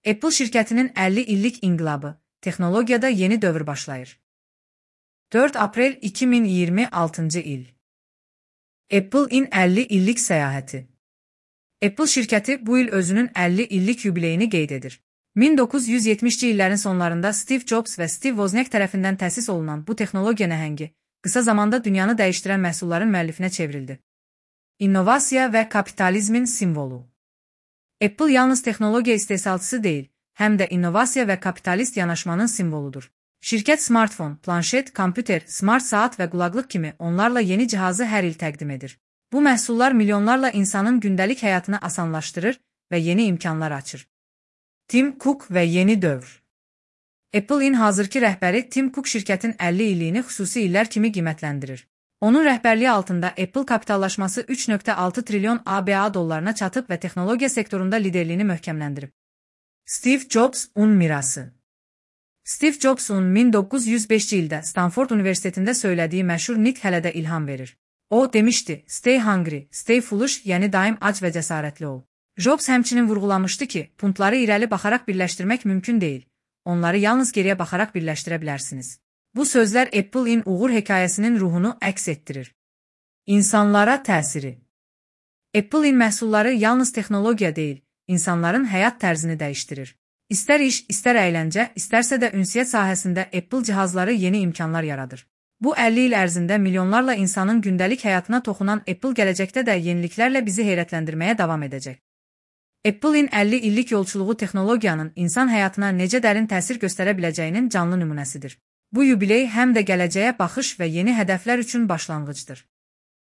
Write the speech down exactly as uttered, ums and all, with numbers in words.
Apple şirkətinin əlli illik inqilabı, texnologiyada yeni dövr başlayır. dörd aprel iki min iyirmi altıncı il. Apple-in əlli illik səyahəti. Apple şirkəti bu il özünün əlli illik yubileyini qeyd edir. min doqquz yüz yetmişci illərin sonlarında Steve Jobs və Steve Wozniak tərəfindən təsis olunan bu texnologiya nəhəngi, qısa zamanda dünyanı dəyişdirən məhsulların müəllifinə çevrildi. İnnovasiya və kapitalizmin simvolu. Apple yalnız texnologiya istehsalçısı deyil, həm də innovasiya və kapitalist yanaşmanın simvoludur. Şirkət smartfon, planşet, kompüter, smart saat və qulaqlıq kimi onlarla yeni cihazı hər il təqdim edir. Bu məhsullar milyonlarla insanın gündəlik həyatını asanlaşdırır və yeni imkanlar açır. Tim Cook və yeni dövr. Apple-in hazırki rəhbəri Tim Cook şirkətin əlli illiyini xüsusi illər kimi qiymətləndirir. Onun rəhbərliyi altında Apple kapitallaşması üç nöqtə altı trilyon A B A dollarına çatıb və texnologiya sektorunda liderliyini möhkəmləndirib. Steve Jobs-un mirası. Steve Jobs-un min doqquz yüz beşinci ildə Stanford Universitetində söylədiyi məşhur nitq hələ də ilham verir. O demişdi, "Stay hungry, stay foolish", yəni daim ac və cəsarətli ol. Jobs həmçinin vurğulamışdı ki, puntları irəli baxaraq birləşdirmək mümkün deyil. Onları yalnız geriyə baxaraq birləşdirə bilərsiniz. Bu sözlər Apple-in uğur hekayəsinin ruhunu əks etdirir. İnsanlara təsiri. Apple-in məhsulları yalnız texnologiya deyil, insanların həyat tərzini dəyişdirir. İstər iş, istər əyləncə, istərsə də ünsiyyət sahəsində Apple cihazları yeni imkanlar yaradır. Bu əlli il ərzində milyonlarla insanın gündəlik həyatına toxunan Apple gələcəkdə də yeniliklərlə bizi heyrətləndirməyə davam edəcək. Apple-in əlli illik yolçuluğu texnologiyanın insan həyatına necə dərin təsir göstərə biləcəyinin canlı nümunəsidir. Bu yubiley həm də gələcəyə baxış və yeni hədəflər üçün başlanğıcdır.